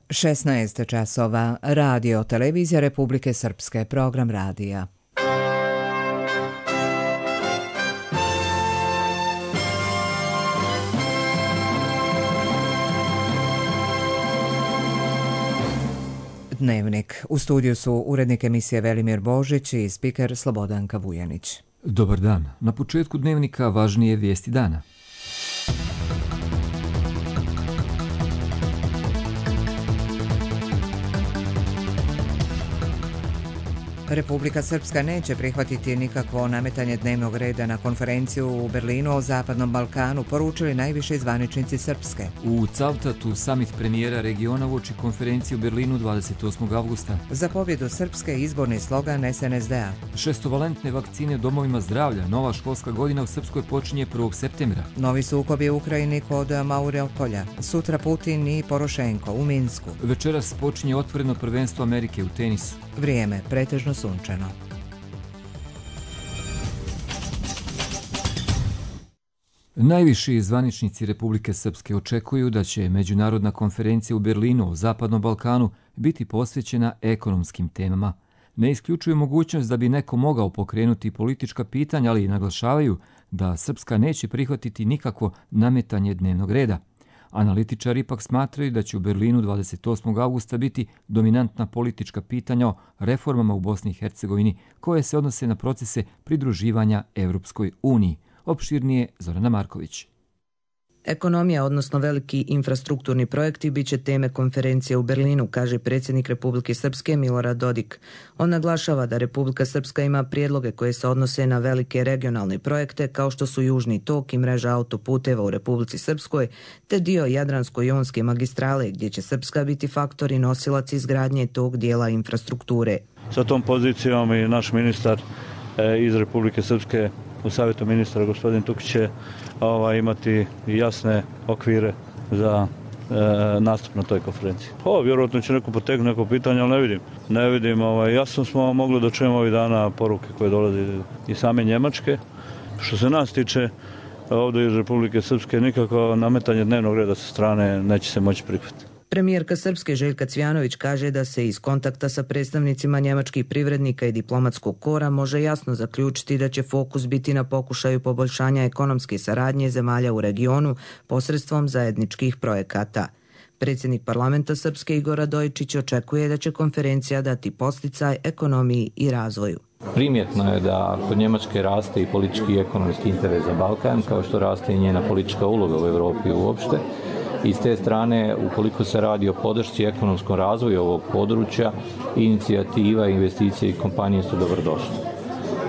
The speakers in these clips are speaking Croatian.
16 časova, radio, televizija Republike Srpske, program radija. Dnevnik. U studiju su urednik emisije Velimir Božić i spiker Slobodanka Vujanić. Dobar dan. Na početku dnevnika važnije vijesti dana. Republika Srpska neće prihvatiti nikakvo nametanje dnevnog reda na konferenciju u Berlinu o Zapadnom Balkanu, poručili najviši zvaničnici Srpske. U Cavtatu samit premijera regiona uoči konferenciju u Berlinu 28. avgusta. Za pobjedu Srpske izborni slogan SNSD-a. Šestovalentne vakcine u domovima zdravlja. Nova školska godina u Srpskoj počinje 1. septembra. Novi sukobi u Ukrajini kod Mariupolja. Sutra Putin i Porošenko u Minsku. Večeras počinje otvoreno prvenstvo Amerike u tenisu. Vrijeme pretežno sunčano. Najviši zvaničnici Republike Srpske očekuju da će međunarodna konferencija u Berlinu o Zapadnom Balkanu biti posvećena ekonomskim temama. Ne isključuju mogućnost da bi neko mogao pokrenuti politička pitanja, ali i naglašavaju da Srpska neće prihvatiti nikakvo nametanje dnevnog reda. Analitičari ipak smatraju da će u Berlinu 28. avgusta biti dominantna politička pitanja o reformama u Bosni i Hercegovini koje se odnose na procese pridruživanja Evropskoj uniji. Opširnije Zorana Marković. Ekonomija, odnosno veliki infrastrukturni projekti, bit će teme konferencije u Berlinu, kaže predsjednik Republike Srpske Milorad Dodik. On naglašava da Republika Srpska ima prijedloge koje se odnose na velike regionalne projekte kao što su Južni tok i mreža autoputeva u Republici Srpskoj, te dio Jadransko-jonske magistrale gdje će Srpska biti faktor i nosilac izgradnje tog dijela infrastrukture. Sa tom pozicijom i naš ministar iz Republike Srpske u savjetu ministra gospodin Tukić će imati jasne okvire za nastup na toj konferenciji. Vjerojatno će neko potegnuti neko pitanje, ali ne vidim. Jasno smo mogli da čujemo ovih dana poruke koje dolaze iz same Njemačke. Što se nas tiče, ovdje iz Republike Srpske nikako nametanje dnevnog reda sa strane neće se moći prihvatiti. Premijerka Srpske Željka Cvjanović kaže da se iz kontakta sa predstavnicima njemačkih privrednika i diplomatskog kora može jasno zaključiti da će fokus biti na pokušaju poboljšanja ekonomske saradnje zemalja u regionu posredstvom zajedničkih projekata. Predsjednik parlamenta Srpske Igor Radojičić očekuje da će konferencija dati podsticaj ekonomiji i razvoju. Primjetno je da kod Njemačke raste i politički i ekonomski interes za Balkan, kao što raste i njena politička uloga u Europi uopšte. I s te strane, ukoliko se radi o podršci ekonomskom razvoju ovog područja, inicijativa, investicije i kompanije su dobrodošle.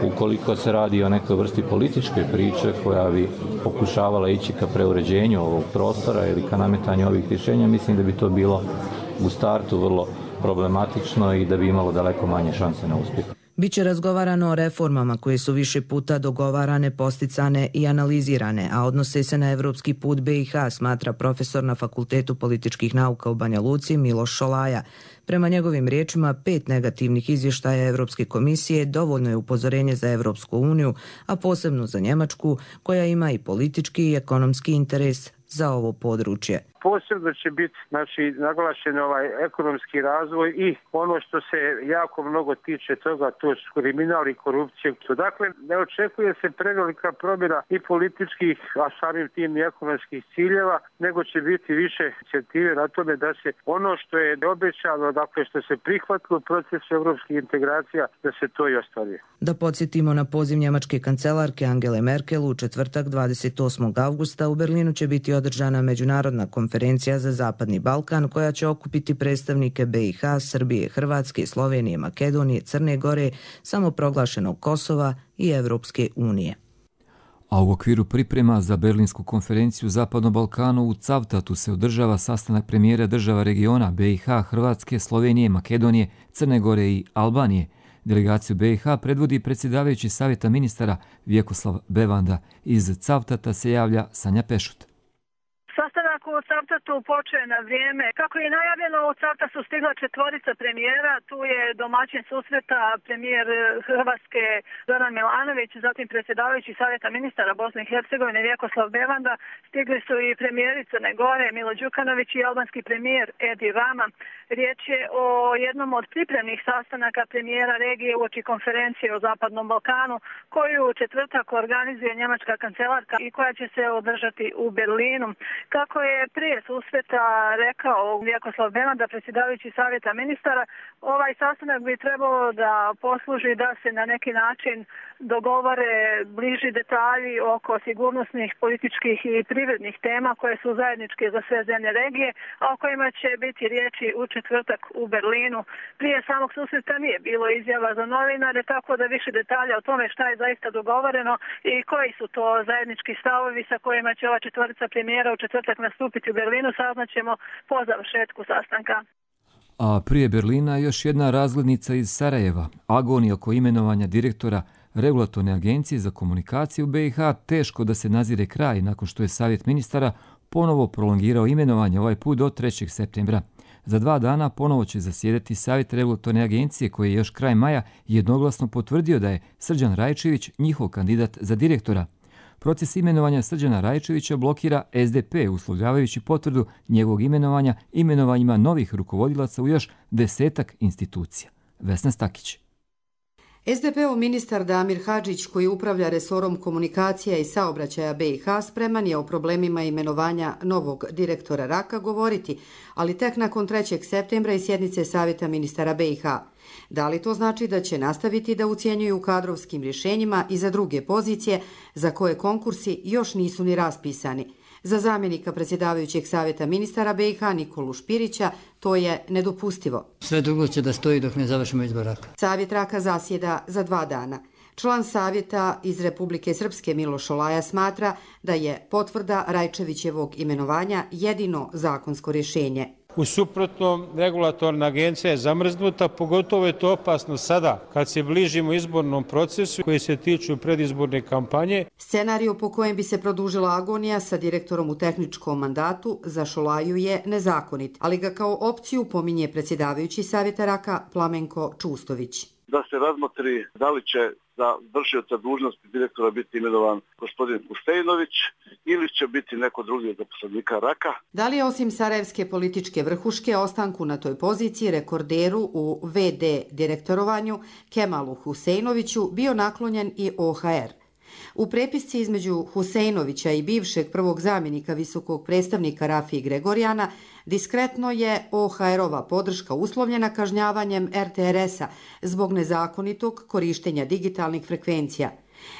Ukoliko se radi o nekoj vrsti političke priče koja bi pokušavala ići ka preuređenju ovog prostora ili ka nametanju ovih rješenja, mislim da bi to bilo u startu vrlo problematično i da bi imalo daleko manje šanse na uspjeh. Biće razgovarano o reformama koje su više puta dogovarane, posticane i analizirane, a odnose se na evropski put BiH, smatra profesor na Fakultetu političkih nauka u Banja Luci Miloš Šolaja. Prema njegovim riječima, 5 negativnih izvještaja Evropske komisije dovoljno je upozorenje za Evropsku uniju, a posebno za Njemačku, koja ima i politički i ekonomski interes za ovo područje. Posebno će biti naglašen ekonomski razvoj i ono što se jako mnogo tiče toga, to su kriminal i korupcija. Dakle, ne očekuje se prevelika promjena i političkih, a samim tim i ekonomskih ciljeva, nego će biti više inicijative na tome da se ono što je obećano, dakle što se prihvatilo u procesu evropskih integracija, da se to i ostvari. Da podsjetimo na poziv njemačke kancelarke Angele Merkel u četvrtak 28. avgusta u Berlinu će biti održana međunarodna konferencija za Zapadni Balkan koja će okupiti predstavnike BiH, Srbije, Hrvatske, Slovenije, Makedonije, Crne Gore, samoproglašenog Kosova i Evropske unije. A u okviru priprema za Berlinsku konferenciju Zapadnom Balkanu u Cavtatu se održava sastanak premijera država regiona BiH, Hrvatske, Slovenije, Makedonije, Crne Gore i Albanije. Delegaciju BiH predvodi predsjedavajući savjeta ministara Vjekoslav Bevanda. Iz Cavtata se javlja Sanja Pešut. Sastanak u Cavtatu počeo na vrijeme. Kako je najavljeno, u Cavtatu stigla 4 premijera. Tu je domaćin susreta premijer Hrvatske Zoran Milanović, zatim predsjedavajući Savjeta ministara Bosne i Hercegovine Vjekoslav Bevanda. Stigli su i premijeri Crne Gore Milo Đukanović i albanski premijer Edi Rama. Riječ je o jednom od pripremnih sastanaka premijera regije uoči konferencije o Zapadnom Balkanu, koju u četvrtak organizuje njemačka kancelarka i koja će se održati u Berlinu. Kako je prije susreta rekao Vjekoslav Bevanda, predsjedavajući Savjeta ministara, ovaj sastanak bi trebalo da posluži da se na neki način dogovore bliži detalji oko sigurnosnih, političkih i privrednih tema koje su zajedničke za sve zemlje regije, a o kojima će biti riječi u četvrtak u Berlinu. Prije samog susreta nije bilo izjava za novinare, tako da više detalja o tome šta je zaista dogovoreno i koji su to zajednički stavovi sa kojima će ova 4 premijera u četvrtak nastupiti u Berlinu, saznaćemo po završetku sastanka. A prije Berlina još jedna razglednica iz Sarajeva, agonija oko imenovanja direktora Regulatorne agencije za komunikaciju u BiH, teško da se nazire kraj nakon što je Savjet ministara ponovo prolongirao imenovanje, ovaj put do 3. septembra. Za 2 dana ponovo će zasjedati Savjet Regulatorne agencije koji je još kraj maja jednoglasno potvrdio da je Srđan Rajčević njihov kandidat za direktora. Proces imenovanja Srđana Rajčevića blokira SDP, uslovljavajući potvrdu njegovog imenovanja imenovanjima novih rukovodilaca u još 10-ak institucija. Vesna Stakić. SDP-ov ministar Damir Hadžić, koji upravlja resorom komunikacija i saobraćaja BiH, spreman je o problemima imenovanja novog direktora RAK-a govoriti, ali tek nakon 3. septembra i sjednice Savjeta ministara BiH. Da li to znači da će nastaviti da ucjenjuju kadrovskim rješenjima i za druge pozicije za koje konkursi još nisu ni raspisani? Za zamjenika predsjedavajućeg Savjeta ministara BiH Nikolu Špirića to je nedopustivo. Sve drugo će da stoji dok ne završimo izbor RAK-a. Savjet RAK-a zasjeda za 2 dana. Član Savjeta iz Republike Srpske Miloš Olaja smatra da je potvrda Rajčevićevog imenovanja jedino zakonsko rješenje. U suprotnom, regulatorna agencija je zamrznuta, pogotovo je to opasno sada, kad se bližimo izbornom procesu koji se tiču predizborne kampanje. Scenariju po kojem bi se produžila agonija sa direktorom u tehničkom mandatu za Šolaju je nezakonit, ali ga kao opciju pominje predsjedavajući Savjeta RAK-a Plamenko Čustović. Da se razmotri da li će za vršioca dužnosti direktora biti imenovan gospodin Husejnović ili će biti neko drugi od zaposlenika RAK-a. Da li je osim sarajevske političke vrhuške ostanku na toj poziciji rekorderu u VD direktorovanju Kemalu Husejnoviću bio naklonjen i OHR? U prepisci između Husejnovića i bivšeg prvog zamjenika visokog predstavnika Rafiji Gregorjana diskretno je OHR-ova podrška uslovljena kažnjavanjem RTRS-a zbog nezakonitog korištenja digitalnih frekvencija.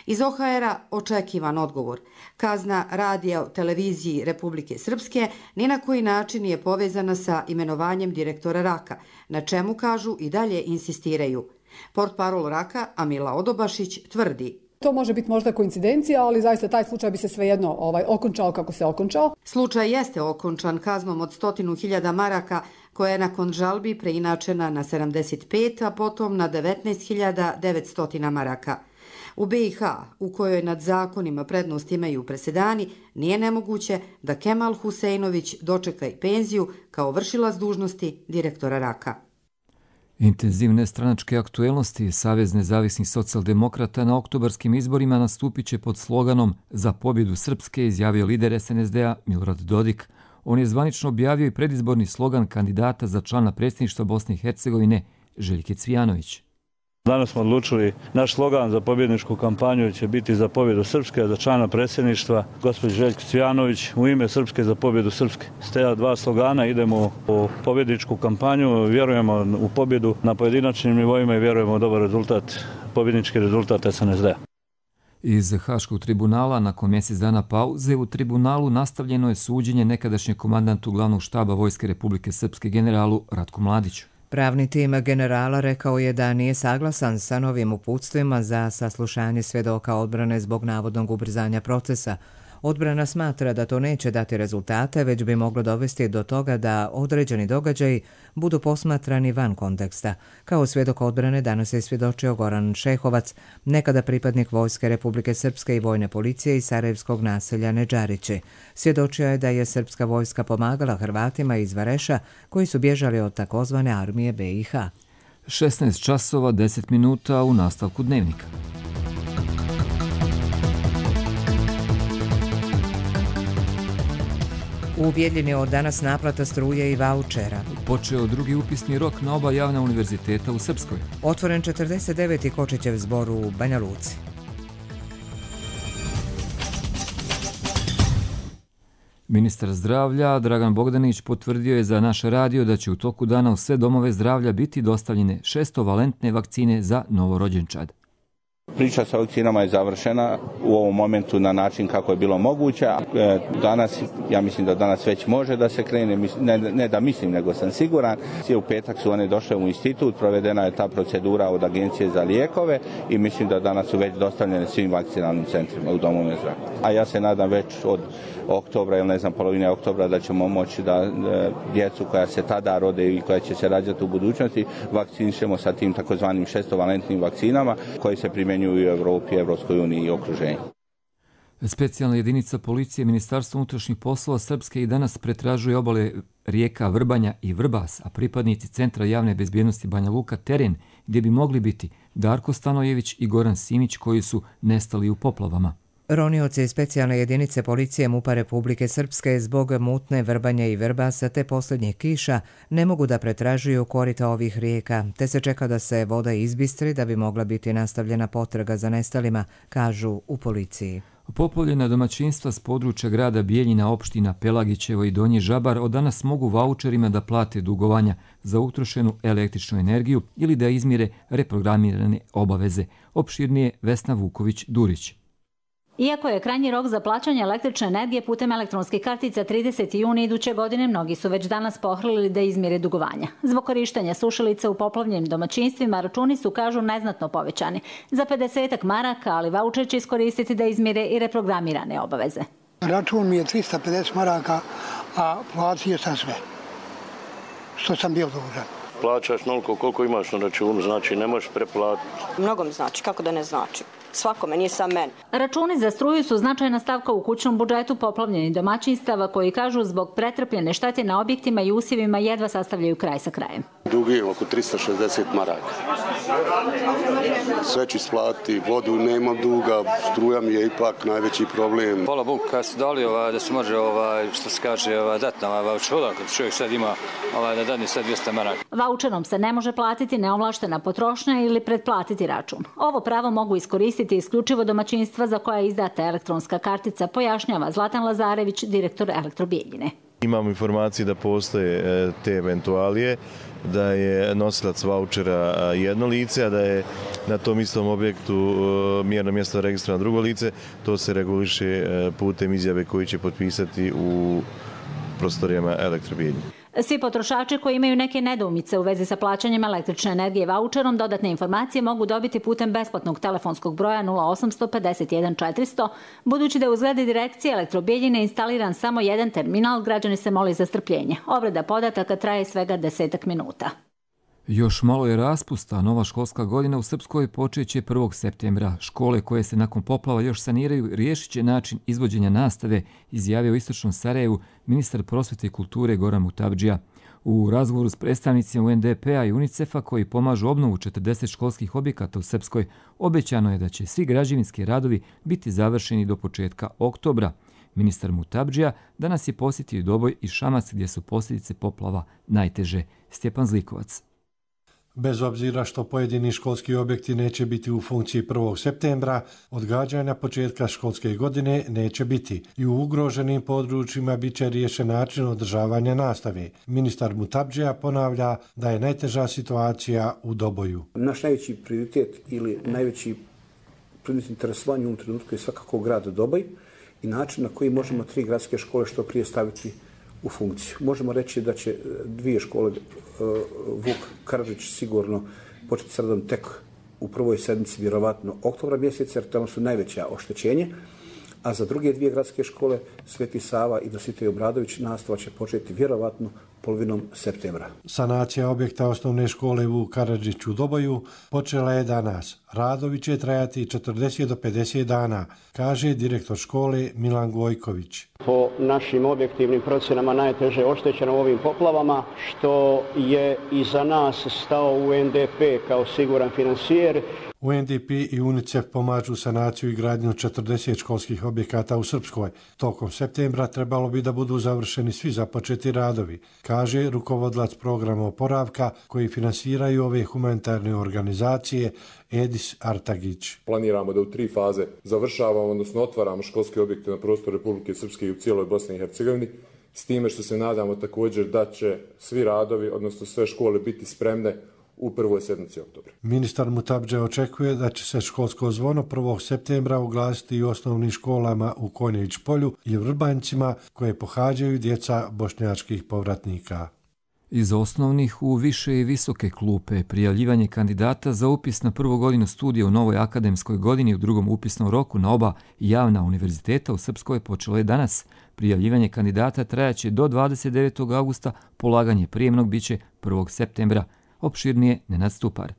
Iz OHR-a očekivan odgovor. Kazna radija televiziji Republike Srpske ni na koji način nije povezana sa imenovanjem direktora RAK-a, na čemu kažu i dalje insistiraju. Portparol RAK-a Amila Odobašić tvrdi: to može biti možda koincidencija, ali zaista taj slučaj bi se svejedno okončao kako se okončao. Slučaj jeste okončan kaznom od 100.000 maraka koja je nakon žalbi preinačena na 75, a potom na 19.900 maraka. U BiH, u kojoj nad zakonima prednost imaju presedani, nije nemoguće da Kemal Husejnović dočeka i penziju kao vršilac dužnosti direktora RAK-a. Intenzivne stranačke aktuelnosti Savez nezavisnih socijaldemokrata na oktobarskim izborima nastupit će pod sloganom Za pobjedu Srpske, izjavio lider SNSD-a Milorad Dodik. On je zvanično objavio i predizborni slogan kandidata za člana predsjedništva Bosne i Hercegovine Željke Cvijanović. Danas smo odlučili, naš slogan za pobjedničku kampanju će biti Za pobjedu Srpske, za člana predsjedništva gospođe Željke Cvijanović u ime Srpske za pobjedu Srpske. S te 2 slogana idemo u pobjedničku kampanju, vjerujemo u pobjedu na pojedinačnim nivoima i vjerujemo u dobar rezultat, pobjednički rezultat SNSD-a. Iz Haškog tribunala nakon mjesec dana pauze u tribunalu nastavljeno je suđenje nekadašnjem komandantu glavnog štaba Vojske Republike Srpske generalu Ratku Mladiću. Pravni tim generala rekao je da nije saglasan sa novim uputstvima za saslušanje svjedoka odbrane zbog navodnog ubrzanja procesa. Odbrana smatra da to neće dati rezultate, već bi moglo dovesti do toga da određeni događaji budu posmatrani van konteksta. Kao svjedok odbrane danas je svjedočio Goran Šehovac, nekada pripadnik Vojske Republike Srpske i vojne policije iz sarajevskog naselja Nedžarići. Svjedočio je da je srpska vojska pomagala Hrvatima iz Vareša koji su bježali od takozvane armije BiH. 16 časova 10 minuta u nastavku dnevnika. U Bijeljini od danas naplata struje i vaučera. Počeo drugi upisni rok na oba javna univerziteta u Srpskoj. Otvoren 49. Kočićev zbor u Banja Luci. Ministar zdravlja Dragan Bogdanić potvrdio je za naš radio da će u toku dana u sve domove zdravlja biti dostavljene 600-valentne vakcine za novorođenčad. Priča sa vakcinama je završena u ovom momentu na način kako je bilo moguće. Danas, ja mislim da danas već može da se krene, ne da mislim, nego sam siguran. U petak su one došle u institut, provedena je ta procedura od Agencije za lijekove i mislim da danas su već dostavljene svim vakcinalnim centrima u domovima zdravlja. A ja se nadam već od oktobra ili polovine oktobra da ćemo moći da djecu koja se tada rode i koja će se rađati u budućnosti vakcinišemo sa tim takozvanim 600-valentnim vakcinama koji se primjenjuju u Evropi, Evropskoj uniji i okruženju. Specijalna jedinica policije Ministarstva unutrašnjih poslova Srpske i danas pretražuje obale rijeka Vrbanja i Vrbas, a pripadnici Centra javne bezbjednosti Banja Luka teren gdje bi mogli biti Darko Stanojević i Goran Simić koji su nestali u poplavama. Ronioci iz specijalne jedinice policije MUP-a Republike Srpske zbog mutne Vrbanja i Vrbasa te posljednjih kiša ne mogu da pretražuju korita ovih rijeka, te se čeka da se voda izbistri da bi mogla biti nastavljena potraga za nestalima, kažu u policiji. Poplavljena domaćinstva s područja grada Bijeljina, opština Pelagićevo i Donji Žabar od danas mogu vaučerima da plate dugovanja za utrošenu električnu energiju ili da izmire reprogramirane obaveze. Opširnije Vesna Vuković-Durić. Iako je krajnji rok za plaćanje električne energije putem elektronskih kartica 30. juni iduće godine, mnogi su već danas pohrlili da izmire dugovanja. Zbog korištenja sušilica u poplavljenim domaćinstvima računi su, kažu, neznatno povećani. Za 50 maraka, ali vaučer će iskoristiti da izmire i reprogramirane obaveze. Račun mi je 350 maraka, a platio sam sve što sam bio dužan. Plaćaš noliko koliko imaš na računu, znači ne možeš preplatiti. Mnogo mi znači, kako da ne znači. Svakome, nije sam meni. Računi za struju su značajna stavka u kućnom budžetu poplavljenih domaćinstava koji, kažu, zbog pretrpljene štete na objektima i usjevima jedva sastavljaju kraj sa krajem. Dug je oko 360 maraka. Sve ću isplatiti, vodu nemam duga, struja mi je ipak najveći problem. Hvala Bogu, kad su dali da se može, što se kaže, dati na vaučer, kad čovjek sad ima da dadne sad 200 maraka. Vaučerom se ne može platiti neovlaštena potrošnja ili pretplatiti račun. Ovo pravo mogu iskoristiti isključivo domaćinstva za koja je izdata elektronska kartica, pojašnjava Zlatan Lazarević, direktor Elektrobijeljine. Imamo informacije da postoje te eventualije, da je nosilac vaučera jedno lice, a da je na tom istom objektu mjerno mjesto registrovano drugo lice. To se reguliše putem izjave koju će potpisati u prostorijama Elektrobijeljine. Svi potrošači koji imaju neke nedoumice u vezi sa plaćanjem električne energije vaučerom dodatne informacije mogu dobiti putem besplatnog telefonskog broja 0800 51 400. Budući da je u zgradi direkcije Elektrobijeljine instaliran samo jedan terminal, građani se moli za strpljenje. Obrada podataka traje svega 10 minuta. Još malo je raspusta, nova školska godina u Srpskoj počeće 1. septembra. Škole koje se nakon poplava još saniraju riješit će način izvođenja nastave, izjavio u Istočnom Sarajevu ministar prosvjete i kulture Goran Mutabdžija. U razgovoru s predstavnicima UNDP-a i UNICEF-a koji pomažu obnovu 40 školskih objekata u Srpskoj, obećano je da će svi građevinski radovi biti završeni do početka oktobra. Ministar Mutabdžija danas je posjetio Doboj i Šamac gdje su posljedice poplava najteže. Stjepan Zlikovac. Bez obzira što pojedini školski objekti neće biti u funkciji 1. septembra, odgađanja početka školske godine neće biti i u ugroženim područjima bit će riješen način održavanja nastave. Ministar Mutabdžija ponavlja da je najteža situacija u Doboju. Naš najveći prioritet ili najveći predmet interesovanja u ovom trenutku je svakako grad Doboj i način na koji možemo 3 gradske škole što prije staviti u funkciju. Možemo reći da će 2 škole Vuk Karadžić sigurno početi s radom tek u prvoj sedmici, vjerovatno oktobra mjeseca, jer tamo su najveća oštećenja, a za druge dvije gradske škole, Sveti Sava i Dositej Obradović, nastava će početi vjerovatno polovinom septembra. Sanacija objekta osnovne škole u Karadžiću u Doboju počela je danas. Radovi će trajati 40 do 50 dana, kaže direktor škole Milan Gojković. Po našim objektivnim procjenama najteže oštećeno u ovim poplavama, što je i za nas stao UNDP kao siguran financijer. UNDP i UNICEF pomažu sanaciju i gradnju 40 školskih objekata u Srpskoj. Tokom septembra trebalo bi da budu završeni svi započeti radovi, kaže rukovodlac programa oporavka koji finansiraju ove humanitarne organizacije Edis Artagić. Planiramo da u 3 faze završavamo, odnosno otvaramo školske objekte na prostoru Republike Srpske i u cijeloj Bosni i Hercegovini, s time što se nadamo također da će svi radovi, odnosno sve škole biti spremne u prvoj sedmici oktobra. Ministar Mutabdže očekuje da će se školsko zvono 1. septembra oglasiti i u osnovnim školama u Konjević polju i Vrbanjcima koje pohađaju djeca bošnjačkih povratnika. Iz osnovnih u više i visoke klupe prijavljivanje kandidata za upis na prvu godinu studija u novoj akademskoj godini u drugom upisnom roku na oba javna univerziteta u Srpskoj počelo je danas. Prijavljivanje kandidata trajaće do 29. augusta, polaganje prijemnog biće 1. septembra. Opširnije Nenad Stupar.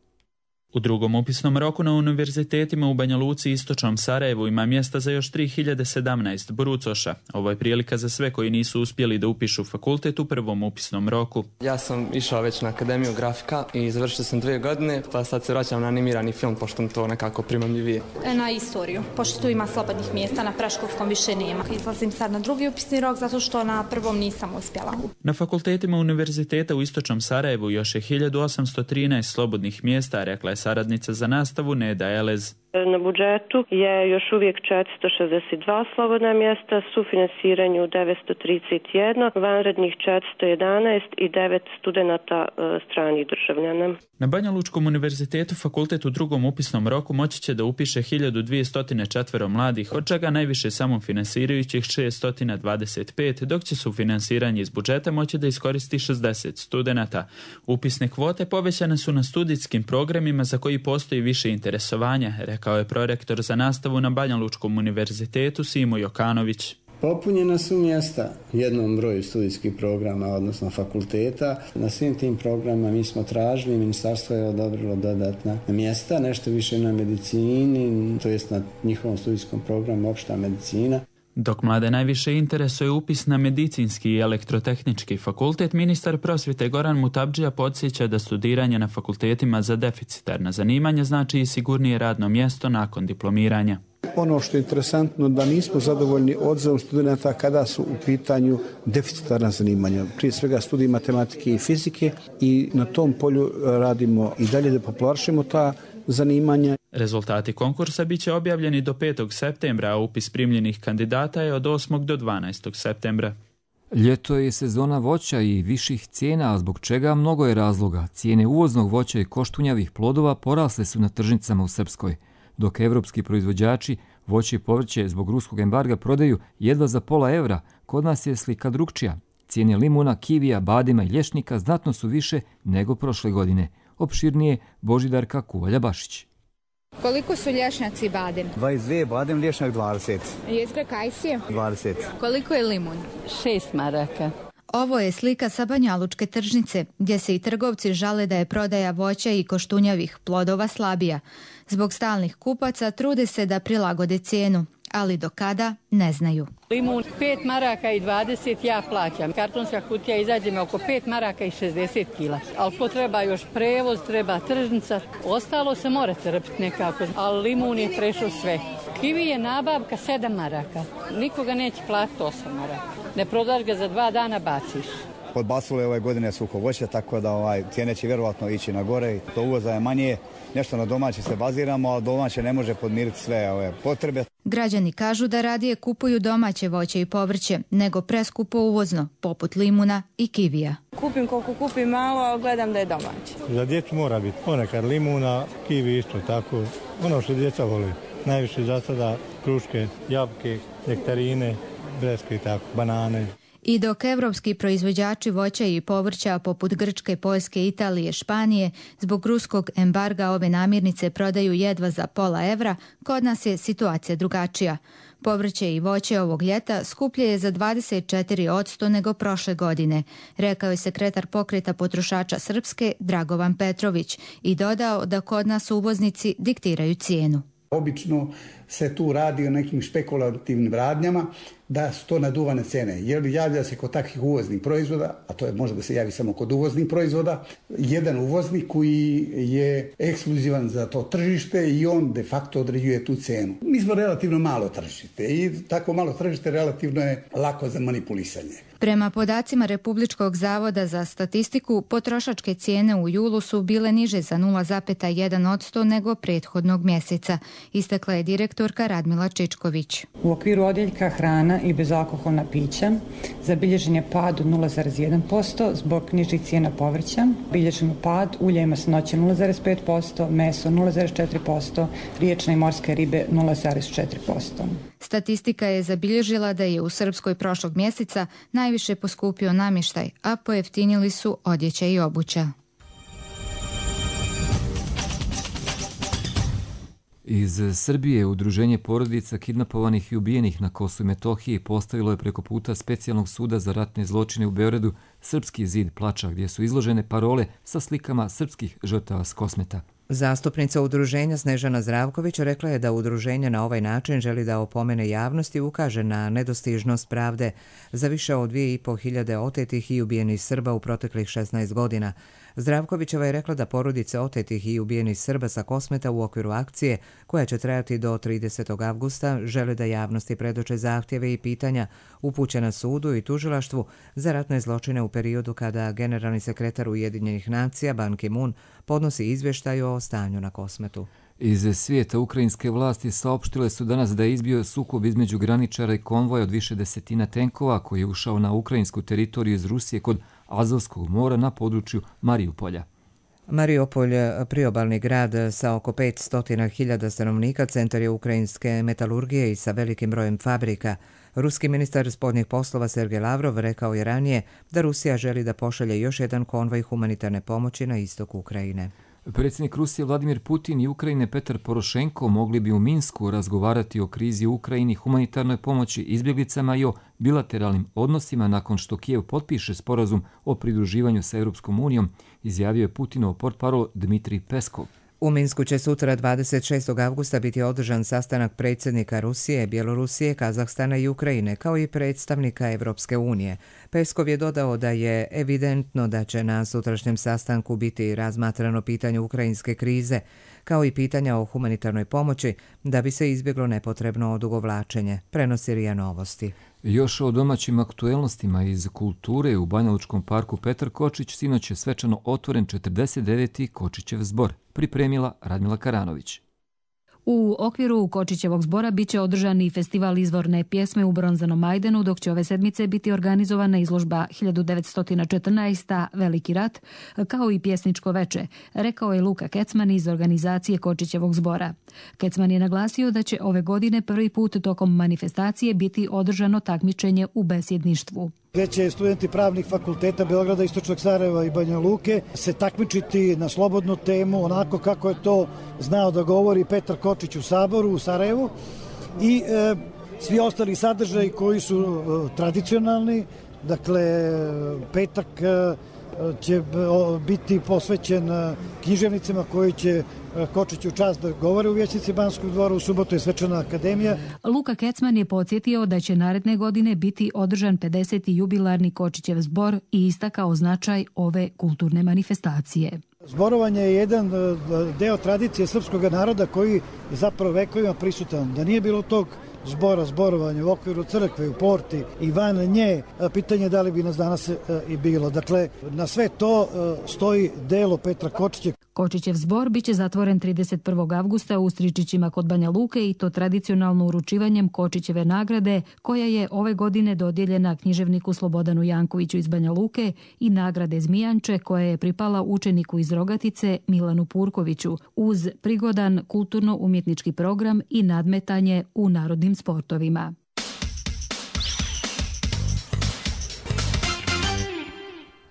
U drugom upisnom roku na univerzitetima u Banja Luci i Istočnom Sarajevu ima mjesta za još 3017 brucoša. Ovo je prilika za sve koji nisu uspjeli da upišu fakultet u prvom upisnom roku. Ja sam išao već na Akademiju grafika i završio sam 2 godine, pa sad se vraćam na animirani film, pošto mi to nekako primamljivije. Na istoriju, pošto tu ima slobodnih mjesta, na predškolskom više nema. Izlazim sad na drugi upisni rok zato što na prvom nisam uspjela. Na fakultetima univerziteta u Istočnom Sarajevu još je 1813 slobodnih mjesta, rekla je saradnica za nastavu Neda Elez. Na budžetu je još uvijek 462 slobodna mjesta, sufinanciranju 931, vanrednih 411 i 9 studenata stranih državljana. Na Banja Lučkom univerzitetu fakultet u drugom upisnom roku moći će da upiše 1204 mladih, od čega najviše samofinansirajućih 625, dok će sufinansiranje iz budžeta moći da iskoristi 60 studenata. Upisne kvote povećane su na studijskim programima za koji postoji više interesovanja, rekao je prorektor za nastavu na Banja Lučkom univerzitetu Simo Jokanović. Popunjena su mjesta jednom broju studijskih programa, odnosno fakulteta. Na svim tim programima mi smo tražili, ministarstvo je odobrilo dodatna mjesta, nešto više na medicini, to jest na njihovom studijskom programu opšta medicina. Dok mlade najviše interesuje upis na medicinski i elektrotehnički fakultet, ministar prosvjete Goran Mutabdžija podsjeća da studiranje na fakultetima za deficitarna zanimanja znači i sigurnije radno mjesto nakon diplomiranja. Ono što je interesantno da nismo zadovoljni odazivom studenta kada su u pitanju deficitarna zanimanja. Prije svega studij matematike i fizike i na tom polju radimo i dalje da popularišemo ta zanimanja. Rezultati konkursa bit će objavljeni do 5. septembra, a upis primljenih kandidata je od 8. do 12. septembra. Ljeto je sezona voća i viših cijena, a zbog čega mnogo je razloga. Cijene uvoznog voća i koštunjavih plodova porasle su na tržnicama u Srpskoj, dok evropski proizvođači voće i povrće zbog ruskog embarga prodaju jedva za pola evra. Kod nas je slika drukčija. Cijene limuna, kivija, badema i lješnika znatno su više nego prošle godine. Opširnije Božidarka Kuvalja-Bašić. Koliko su lješnjaci i badem? 22, badem, lješnjak 20. Jezgra kajsije? 20. Koliko je limun? 6 maraka. Ovo je slika sa banjalučke tržnice, gdje se i trgovci žale da je prodaja voća i koštunjavih plodova slabija. Zbog stalnih kupaca trude se da prilagode cijenu, ali do kada ne znaju. Limun 5 maraka i 20 ja plaćam. Kartonska kutija izađe me oko 5 maraka i 60 kila. Ali to treba još prevoz, treba tržnica. Ostalo se mora trpiti nekako, ali limun je prešao sve. Kivi je nabavka 7 maraka. Nikoga neće platiti 8 maraka. Ne prodaš ga za 2 dana, baciš. Podbacilo je ove godine suho voće, tako da cijene će vjerovatno ići na gore. To uvoza je manje, nešto na domaće se baziramo, a domaće ne može podmiriti sve ove potrebe. Građani kažu da radije kupuju domaće voće i povrće nego preskupo uvozno, poput limuna i kivija. Kupim koliko kupim malo, ali gledam da je domaće. Za djecu mora biti ponekad limuna, kivi isto tako. Ono što djeca voli. Najviše za sada kruške, jabuke, nektarine, breskve i tako, banane. I dok evropski proizvođači voća i povrća poput Grčke, Poljske, Italije, Španije zbog ruskog embarga ove namirnice prodaju jedva za €0,5, kod nas je situacija drugačija. Povrće i voće ovog ljeta skuplje je za 24% nego prošle godine, rekao je sekretar Pokreta potrošača Srpske Dragovan Petrović i dodao da kod nas uvoznici diktiraju cijenu. Obično se tu radi o nekim špekulativnim radnjama da su to naduvane cene. Jer javlja se kod takvih uvoznih proizvoda, a to je može da se javi samo kod uvoznih proizvoda, jedan uvoznik koji je ekskluzivan za to tržište i on de facto određuje tu cenu. Mi smo relativno malo tržište i tako malo tržište relativno je lako za manipulisanje. Prema podacima Republičkog zavoda za statistiku, potrošačke cijene u julu su bile niže za 0,1% nego prethodnog mjeseca, istakla je direktorka Radmila Čičković. U okviru odjeljka hrana i bezalkoholna pića zabilježen je pad od 0,1% zbog nižih cijena povrća, bilježen pad ulja i masnoće 0,5%, meso 0,4%, riječne i morske ribe 0,4%. Statistika je zabilježila da je u Srpskoj prošlog mjeseca najviše poskupio namještaj, a pojeftinili su odjeća i obuća. Iz Srbije Udruženje porodica kidnapovanih i ubijenih na Kosovu i Metohiji postavilo je preko puta Specijalnog suda za ratne zločine u Beogradu Srpski zid plača, gdje su izložene parole sa slikama srpskih žrtava s Kosmeta. Zastupnica udruženja Snežana Zdravković rekla je da udruženje na ovaj način želi da opomene javnost i ukaže na nedostižnost pravde za više od 2.500 otetih i ubijenih Srba u proteklih 16 godina. Zdravkovićeva je rekla da porodice otetih i ubijenih Srba sa Kosmeta u okviru akcije, koja će trajati do 30. avgusta, žele da javnosti predoče zahtjeve i pitanja upućena sudu i tužilaštvu za ratne zločine u periodu kada generalni sekretar Ujedinjenih nacija Ban Ki-moon podnosi izvještaj o stanju na Kosmetu. Iz svijeta ukrajinske vlasti saopštile su danas da je izbio sukob između graničara i konvoja od više desetina tenkova koji je ušao na ukrajinsku teritoriju iz Rusije kod Azovskog mora na području Mariupolja. Mariupolj, priobalni grad sa oko 500.000 stanovnika, centar je ukrajinske metalurgije i sa velikim brojem fabrika. Ruski ministar spoljnih poslova Sergej Lavrov rekao je ranije da Rusija želi da pošalje još jedan konvoj humanitarne pomoći na istok Ukrajine. Predsjednik Rusije Vladimir Putin i Ukrajine Petar Porošenko mogli bi u Minsku razgovarati o krizi u Ukrajini, humanitarnoj pomoći, izbjeglicama i o bilateralnim odnosima nakon što Kijev potpiše sporazum o pridruživanju sa Europskom unijom, izjavio je Putinov portparol Dmitrij Peskov. U Minsku će sutra 26. avgusta biti održan sastanak predsjednika Rusije, Bjelorusije, Kazahstana i Ukrajine, kao i predstavnika Evropske unije. Peskov je dodao da je evidentno da će na sutrašnjem sastanku biti razmatrano pitanje ukrajinske krize, kao i pitanja o humanitarnoj pomoći, da bi se izbjeglo nepotrebno odugovlačenje, prenosi RIA Novosti. Još o domaćim aktuelnostima iz kulture u Banjalučkom parku Petar Kočić sinoć je svečano otvoren 49. Kočićev zbor, pripremila Radmila Karanović. U okviru Kočićevog zbora biće održan i festival izvorne pjesme u Bronzanom Majdanu, dok će ove sedmice biti organizovana izložba 1914. Veliki rat, kao i pjesničko veče, rekao je Luka Kecman iz organizacije Kočićevog zbora. Kecman je naglasio da će ove godine prvi put tokom manifestacije biti održano takmičenje u besjedništvu. Gdje će studenti pravnih fakulteta Beograda, Istočnog Sarajeva i Banja Luke se takmičiti na slobodnu temu, onako kako je to znao da govori Petar Kočić u Saboru u Sarajevu i svi ostali sadržaji koji su tradicionalni. Dakle, petak će biti posvećen književnicima koji će Kočiću čast da govore u vijećnici Banskog dvora, u subotu je svečana akademija. Luka Kecman je podsjetio da će naredne godine biti održan 50. jubilarni Kočićev zbor i istakao značaj ove kulturne manifestacije. Zborovanje je jedan deo tradicije srpskog naroda koji je zapravo vekovima prisutan. Da nije bilo tog zborovanja u okviru crkve, u porti i van nje, pitanje da li bi nas danas i bilo. Dakle, na sve to stoji delo Petra Kočića. Kočićev zbor biće zatvoren 31. avgusta u Stričićima kod Banja Luke i to tradicionalno uručivanjem Kočićeve nagrade, koja je ove godine dodijeljena književniku Slobodanu Jankoviću iz Banja Luke i nagrade Zmijanče, koja je pripala učeniku iz Rogatice Milanu Purkoviću, uz prigodan kulturno-umjetnički program i nadmetanje u narodnim sportovima.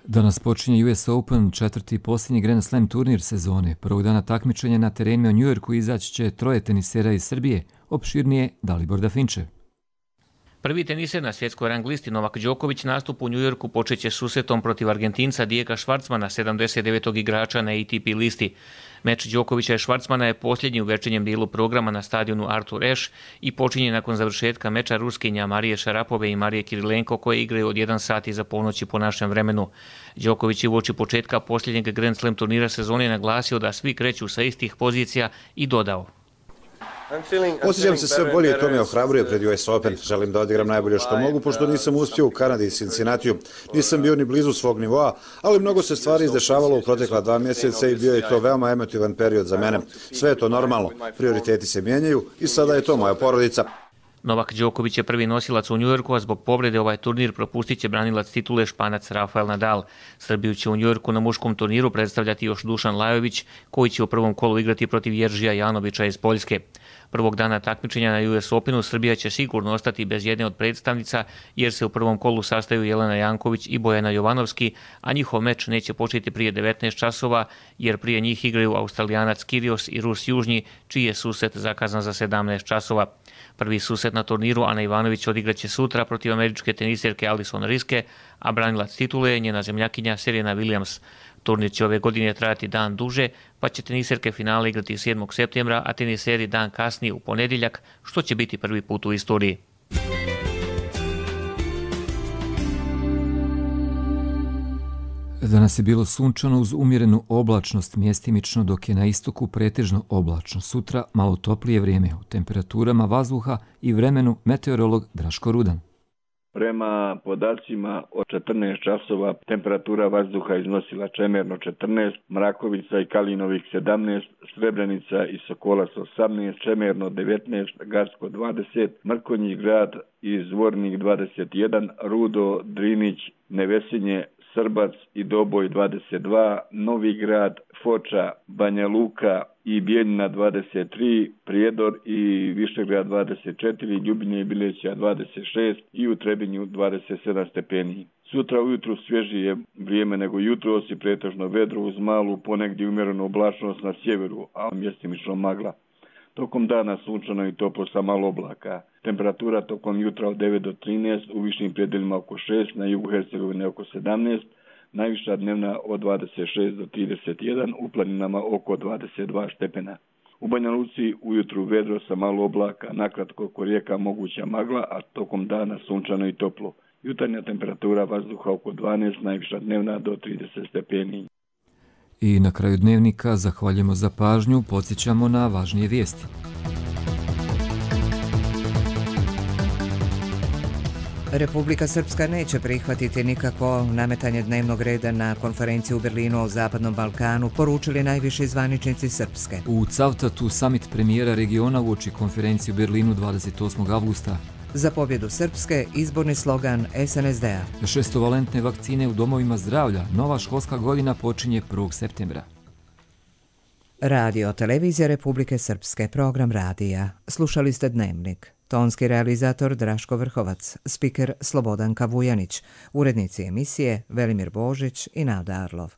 Danas počinje US Open, četvrti i posljednji Grand Slam turnir sezone. Prvog dana takmičenja na terenima u Njujorku izaći će troje tenisera iz Srbije, opširnije Dalibor Dafinčev. Prvi teniser na svjetskoj rang listi Novak Đoković nastup u Njujorku počeće susretom protiv Argentinca Diega Švarcmana, 79. igrača na ATP listi. Meč Đokovića i Švarcmana je posljednji u večernjem dijelu programa na stadionu Artur Ashe i počinje nakon završetka meča Ruskinja Marije Šarapove i Marije Kirilenko koje igraju od 1 sat iza ponoći po našem vremenu. Đoković je uoči početka posljednjeg Grand Slam turnira sezone naglasio da svi kreću sa istih pozicija i dodao: Osjećam se sve bolje i to me ohrabruje pred US Open. Želim da odigram najbolje što mogu, pošto nisam uspio u Kanadi i Cincinnatiju. Nisam bio ni blizu svog nivoa, ali mnogo se stvari izdešavalo u protekla 2 mjeseca i bio je to veoma emotivan period za mene. Sve je to normalno, prioriteti se mijenjaju i sada je to moja porodica. Novak Đoković je prvi nosilac u Njujorku, a zbog povrede ovaj turnir propustit će branilac titule Španac Rafael Nadal. Srbiju će u Njujorku na muškom turniru predstavljati još Dušan Lajović, koji će u prvom kolu igrati protiv Jeržija Janovića iz Poljske. Prvog dana takmičenja na US Openu Srbija će sigurno ostati bez jedne od predstavnica, jer se u prvom kolu sastaju Jelena Janković i Bojana Jovanovski, a njihov meč neće početi prije 19 časova, jer prije njih igraju Australijanac Kyrgios i Rus Južnji, čiji je susret zakazan za 17 časova. Prvi susret na turniru Ana Ivanović odigraće sutra protiv američke teniserke Alison Riske, a branilac titule je njena zemljakinja Serena Williams. Turnir će ove godine trajati dan duže, pa će teniserke finale igrati 7. septembra, a teniseri dan kasnije u ponedjeljak, što će biti prvi put u istoriji. Danas je bilo sunčano uz umjerenu oblačnost mjestimično, dok je na istoku pretežno oblačno. Sutra malo toplije vrijeme, u temperaturama vazduha i vremenu meteorolog Draško Rudan. Prema podacima od 14 časova temperatura vazduha iznosila Čemerno 14, Mrakovica i Kalinovik 17, Srebrenica i Sokolac 18, Čemerno 19, Garsko 20, Mrkonjić grad i Zvornik 21, Rudo, Drinić, Nevesinje, Srbac i Doboj 22, Novi grad, Foča, Banja Luka i Bijeljina 23, Prijedor i Višegrad 24, Ljubinje i Bileća 26 i u Trebinju 27 stepeni. Sutra ujutru svježije vrijeme nego jutros i pretežno vedro uz malu ponegdje umjerenu oblačnost na sjeveru, a mjestimično magla. Tokom dana sunčano i toplo sa malo oblaka. Temperatura tokom jutra od 9 do 13, u višim predjelima oko 6, na jugu Hercegovine oko 17, najviša dnevna od 26 do 31, u planinama oko 22 stepena. U Banja Luci ujutru vedro sa malo oblaka, nakratko oko rijeka moguća magla, a tokom dana sunčano i toplo. Jutarnja temperatura vazduha oko 12, najviša dnevna do 30 stepeni. I na kraju dnevnika zahvaljujemo za pažnju, podsjećamo na važnije vijesti. Republika Srpska neće prihvatiti nikakvo nametanje dnevnog reda na konferenciji u Berlinu o Zapadnom Balkanu, poručili najviši zvaničnici Srpske. U Cavtatu summit premijera regiona uoči konferenciji u Berlinu 28. avgusta. Za pobjedu Srpske izborni slogan SNSD-a. 6-valentne vakcine u domovima zdravlja. Nova školska godina počinje 1. septembra. Radio Televizija Republike Srpske, program radija. Slušali ste Dnevnik. Tonski realizator Draško Vrhovac, spiker Slobodanka Vujanić, urednici emisije Velimir Božić i Nada Arlov.